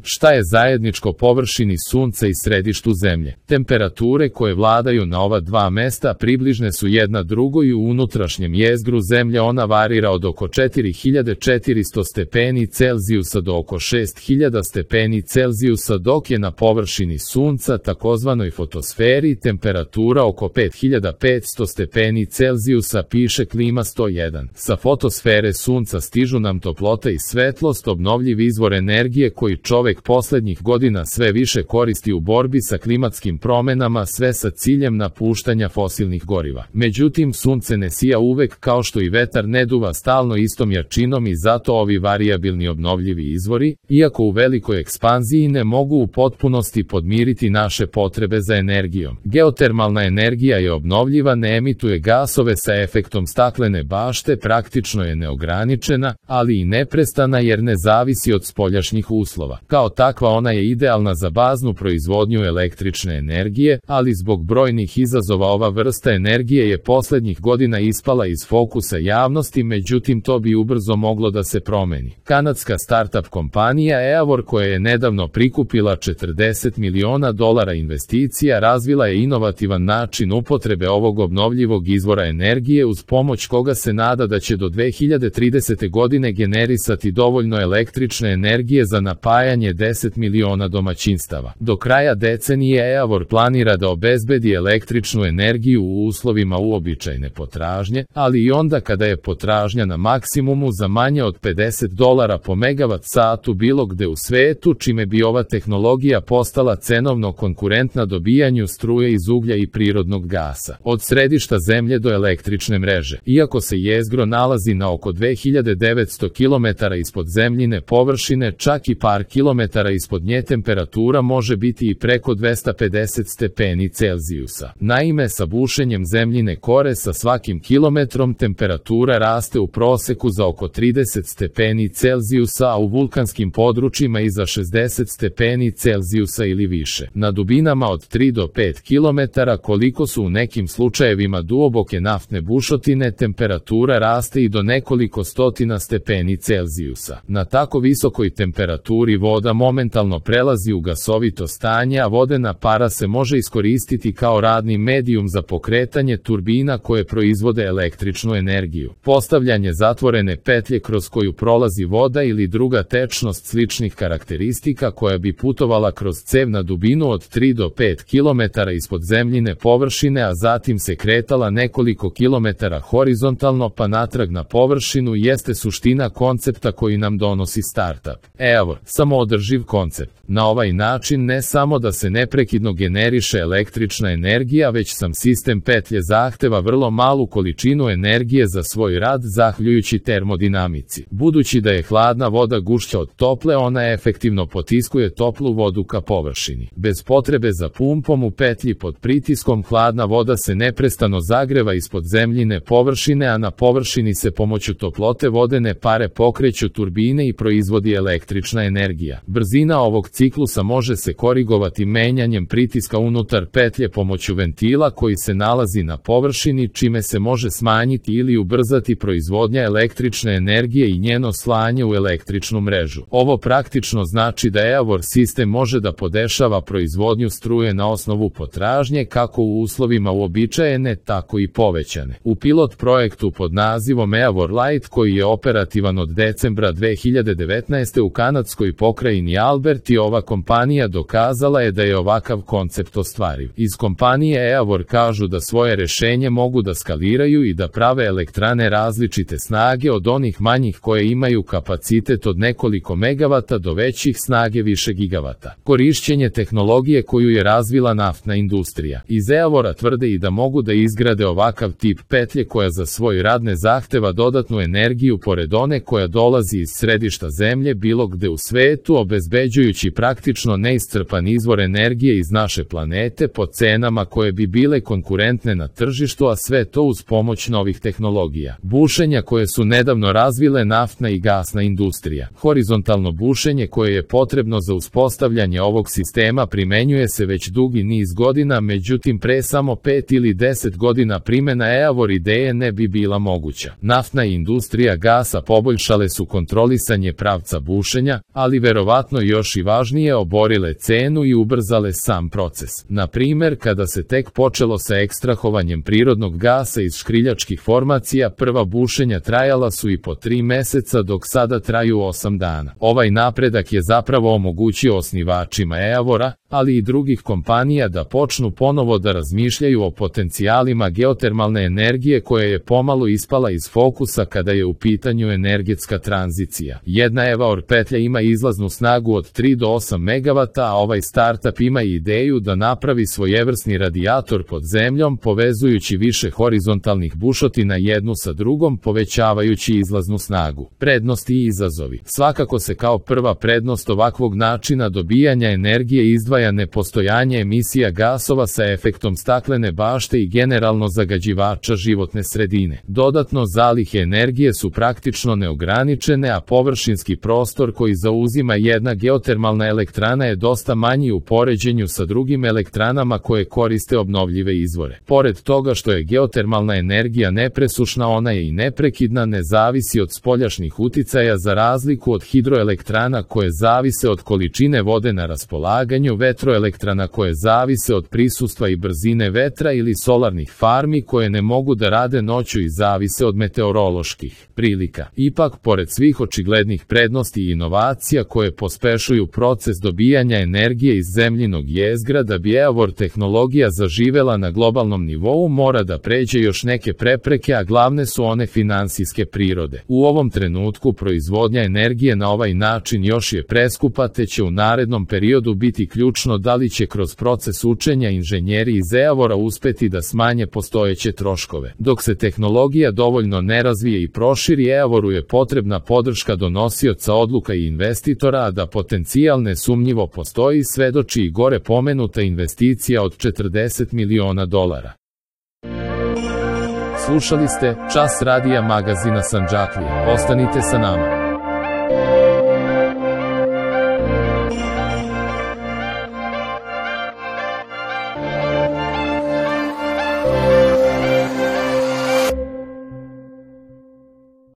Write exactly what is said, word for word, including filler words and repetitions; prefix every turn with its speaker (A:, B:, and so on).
A: Šta je zajedničko površini Sunca i središtu Zemlje? Temperature koje vladaju na ova dva mesta približne su jedna drugoj i u unutrašnjem jezgru Zemlje ona varira od oko četiri hiljade četiristo stepeni Celzijusa do oko šest hiljada stepeni Celzijusa, dok je na površini Sunca, takozvanoj fotosferi, temperatura oko pet hiljada petsto stepeni Celzijusa, piše Klima sto jedan. Sa fotosfere Sunca stižu nam toplota i svetlost, obnovljiv izvor energije koji čovek poslednjih godina sve više koristi u borbi sa klimatskim promenama, sve sa ciljem napuštanja fosilnih goriva. Međutim, Sunce ne sija uvek, kao što i vetar ne duva stalno istom jačinom, i zato ovi varijabilni obnovljivi izvori, iako u velikoj ekspanziji, ne mogu u potpunosti podmiriti naše potrebe za energijom. Geotermalna energija je obnovljiva, ne emituje gasove sa efektom staklene bašte, praktično je neograničena, ali i neprestana jer ne zavisi od spoljašnjih uslova. Kao takva ona je idealna za baznu proizvodnju električne energije, ali zbog brojnih izazova ova vrsta energije je poslednjih godina ispala iz fokusa javnosti, međutim to bi ubrzo moglo da se promeni. Kanadska startup kompanija Eavor, koja je nedavno prikupila četrdeset miliona dolara investicija, razvila je inovativan način upotrebe ovog obnovljivog izvora energije, uz pomoć koga se nada da će do dve hiljade tridesete godine generisati dovoljno električne energije za napajanje deset miliona domaćinstava. Do kraja decenije Eavor planira da obezbedi električnu energiju u uslovima uobičajene potražnje, ali i onda kada je potražnja na maksimumu, za manje od pedeset dolara po megavat satu bilo gde u svetu, čime bi ova tehnologija postala cenovno konkurentna dobijanju struje iz uglja i prirodnog gasa. Od središta Zemlje do električne mreže. Iako se jezgro nalazi na oko dve hiljade devetsto kilometara ispod zemljine površine, čak i par kilometara ispod nje temperatura može biti i preko dvesta pedeset stepeni Celzijusa. Naime, sa bušenjem zemljine kore sa svakim kilometrom temperatura raste u proseku za oko trideset stepeni Celzijusa, a u vulkanskim područjima i za šezdeset stepeni Celzijusa ili više. Na dubinama od tri do pet kilometara, koliko su u nekim slučajevima duboke naftne bušotine, temperatura raste i do nekoliko stotina stepeni Celzijusa. Na tako visokoj temperaturi voda momentalno prelazi u gasovito stanje, a vodena para se može iskoristiti kao radni medijum za pokretanje turbina koje proizvode električnu energiju. Postavljanje zatvorene petlje kroz koju prolazi voda ili druga tečnost sličnih karakteristika koja bi putovala kroz cev na dubinu od tri do pet kilometara ispod zemljine površine, a zatim se kretala nekoliko kilometara horizontalno pa natrag na površinu, jeste suština koncepta koji nam donosi startup Eavor. Samoodrživ koncept. Na ovaj način ne samo da se neprekidno generiše električna energija, već sam sistem petlje zahteva vrlo malu količinu energije za svoj rad zahvaljujući termodinamici. Budući da je hladna voda gušća od tople, ona efektivno potiskuje toplu vodu ka površini. Bez potrebe za pumpom u petlji pod pritiskom, hladna voda se neprestano zagreva ispod zemljine površine, a na površini se pomoću toplote vodene pare pokreću turbine i proizvodi električna energija. Brzina ovog ciklusa može se korigovati menjanjem pritiska unutar petlje pomoću ventila koji se nalazi na površini, čime se može smanjiti ili ubrzati proizvodnja električne energije i njeno slanje u električnu mrežu. Ovo praktično znači da Eavor sistem može da podešava proizvodnju struje na osnovu potražnje, kako u uslovima uobičajene, tako i povećane. U pilot projektu pod nazivom Eavor Light, koji je operativan od decembra dve hiljade devetnaeste u kanadskoj pokrajini Alberti, ova kompanija dokazala je da je ovakav koncept ostvariv. Iz kompanije Eavor kažu da svoje rešenje mogu da skaliraju i da prave elektrane različite snage, od onih manjih koje imaju kapacitet od nekoliko megavata do većih snage više gigavata. Korišćenje tehnologije koju je razvila naftna industrija. Iz Eavora tvrde i da mogu da izgrade ovakav tip petlje koja za svoj rad ne zahteva dodatnu energiju pored one koja dolazi iz središta Zemlje bilo gde u svetu, obezbeđujući praktično neiscrpan izvor energije iz naše planete po cenama koje bi bile konkurentne na tržištu, a sve to uz pomoć novih tehnologija. Bušenja koje su nedavno razvile naftna i gasna industrija. Horizontalno bušenje koje je potrebno za uspostavljanje ovog sistema primenjuje se već dugi niz godina, međutim pre samo pet ili deset godina primena Eavor ideje ne bi bila moguća. Naftna industrija gasa poboljšale su kontrolisanje pravca bušenja, ali verovatno verovatno još i važnije, oborile cenu i ubrzale sam proces. Na primer, kada se tek počelo sa ekstrahovanjem prirodnog gasa iz škriljačkih formacija, prva bušenja trajala su i po tri meseca, dok sada traju osam dana. Ovaj napredak je zapravo omogućio osnivačima Eavora, ali i drugih kompanija da počnu ponovo da razmišljaju o potencijalima geotermalne energije koja je pomalo ispala iz fokusa kada je u pitanju energetska tranzicija. Jedna Eavor petlja ima izlaznu snagu od tri do osam megavata, a ovaj startup ima ideju da napravi svojevrsni radijator pod zemljom, povezujući više horizontalnih bušotina jednu sa drugom, povećavajući izlaznu snagu. Prednosti i izazovi. Svakako se kao prva prednost ovakvog načina dobijanja energije izdvaja nepostojanje emisija gasova sa efektom staklene bašte i generalno zagađivača životne sredine. Dodatno, zalihe energije su praktično neograničene, a površinski prostor koji zauzima jedna geotermalna elektrana je dosta manji u poređenju sa drugim elektranama koje koriste obnovljive izvore. Pored toga što je geotermalna energija nepresušna, ona je i neprekidna, ne zavisi od spoljašnjih uticaja, za razliku od hidroelektrana koje zavise od količine vode na raspolaganju, vetroelektrana koje zavise od prisustva i brzine vetra, ili solarnih farmi koje ne mogu da rade noću i zavise od meteoroloških prilika. Ipak, pored svih očiglednih prednosti i inovacija koje pospešuju proces dobijanja energije iz zemljinog jezgra, da bi Eavor tehnologija zaživela na globalnom nivou, mora da pređe još neke prepreke, a glavne su one finansijske prirode. U ovom trenutku proizvodnja energije na ovaj način još je preskupa, te će u narednom periodu biti ključno da li će kroz proces učenja inženjeri iz Eavora uspeti da smanje postojeće troškove. Dok se tehnologija dovoljno ne razvije i proširi, Eavoru je potrebna podrška donosioca odluka i investitora, a da potencijal nesumnjivo postoji svedoči i gore pomenuta investicija od četrdeset miliona dolara. Slušali ste Čas radija magazina Sandžaklija. Ostanite sa nama.